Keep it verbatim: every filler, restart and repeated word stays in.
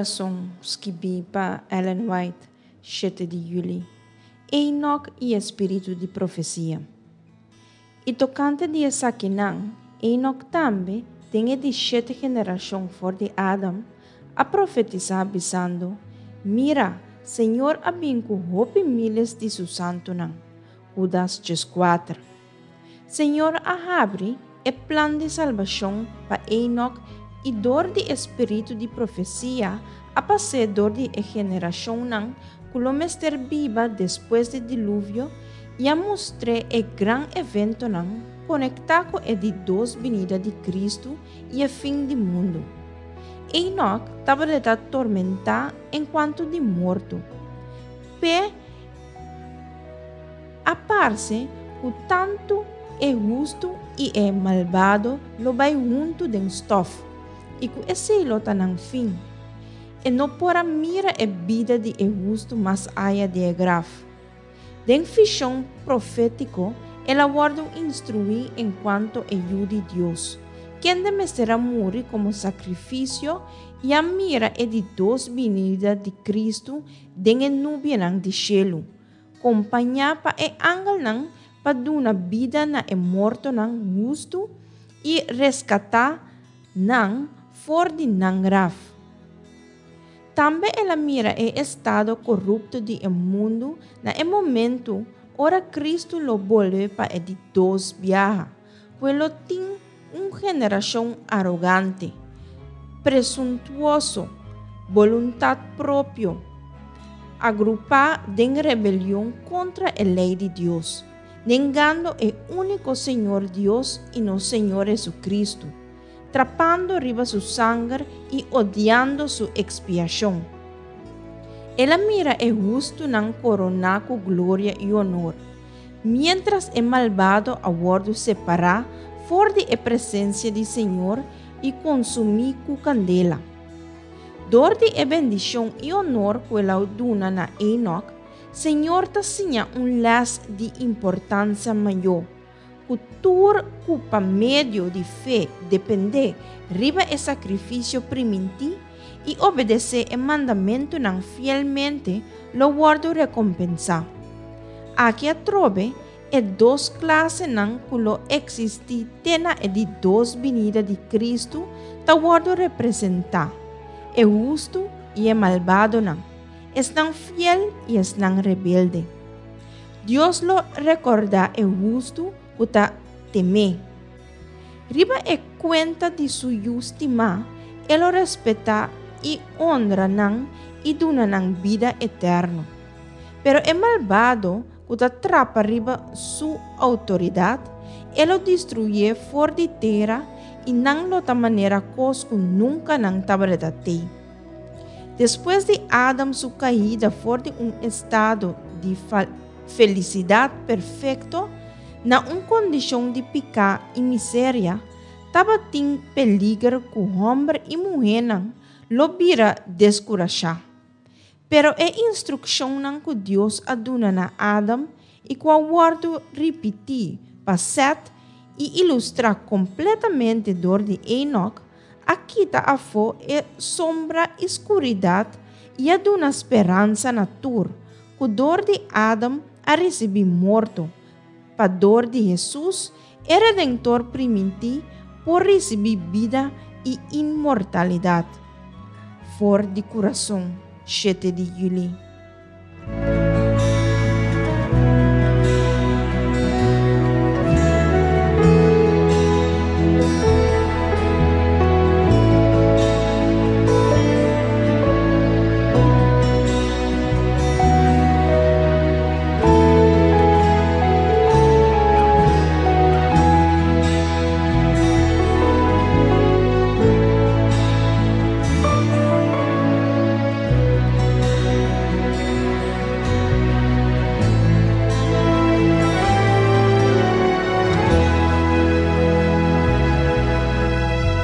Kurason, skibí pa Ellen White, shete di yüli. Enoch i e spiritu di profesia. I tokante di esakinan, Enoch tambe, den e di shete generashon for di Adam, a profetisá bisando: Mira, Señor a bin ku hopi míles di su santunan. Hudas dieskuater. Señor a habri e plan di salbashon pa Enoch i dor di e spiritu di profesia a pas'é dor di e generashonnan ku lo mester biba despues di Diluvio i a mustr'é e gran eventonan konektá ku e di dos binida di Kristu i e fin di mundu. Enoch tabata tormentá enkuanto di morto. P'e a parse ku tantu e hustu i e malbado lo bai huntu den stòf, i ku esei lo ta nan fin. E no por a mira e bida di e hustu mas aya di e graf. Den vishon profétiko el a wòrdu instruí enkuanto e Yu di Dios, kende mester a muri komo sakrifisio i a mira e di dos binida di Kristu den e nubianan di shelu, kompañá pa e angelnan pa duna bida na e mortonan hustu i reskatá nan for di nan graf. Tambe el a mira e estado korupto di e mundu na e momentu ora Kristu lo bolbe pa e di dos biaha, ku e lo tin un generashon arogante, presuntuoso, boluntat propio, agrupá den rebelion kontra e lei di Dios, nengando e úniko Señor Dios i nos Señor Hesukristu, trapando riba su sanger i odiando su ekspiashon. El a mira e hustunan koroná ku gloria i honor, miéntras e malbado a wòrdu separá for di e presensia di Señor i konsumí ku kandela. Dor di e bendishon i honor ku el a duna na Enoch, Señor ta siña un lès di importansia mayó, ku tur ku pa medio di fe dependé riba e sakrifisio primintí i obedesé e mandamentunan fielmente lo wòrdu rekompensá. Aki atrobe e dos klasenan ku lo eksistí te na e di dos binida di Kristu ta wòrdu representá, e hustu i e malbadonan, esnan fiel i esnan rebelde. Dios lo rekordá e hustu ku ta tem'é. Riba e kuenta di su Yu stimá, e lo respetá i honra nan i duna nan bida eterno. Pero e malbado ku ta trapa riba su outoridat, e lo destruyé for di tera i nan lo ta manera kos ku nunka nan tabata t'ei. Despues di Adam su kaida for di un estado di felisidat perfekto na un kondishon di piká i miseria, tabatin peliger ku hòmber i muhénan lo bira deskurashá. Pero e instrukshonnan ku Dios a duna na Adam i ku a wòrdu ripití pa Sèt i ilustrá kompletamente dor di Enoch, a kita afó e sombra i skuridat i a duna speransa na tur ku dor di Adam a risibí morto, pa dor di Hesus, e Redentor primintí, por risibí bida i inmortalidat. For di Kurason, shete di yüli.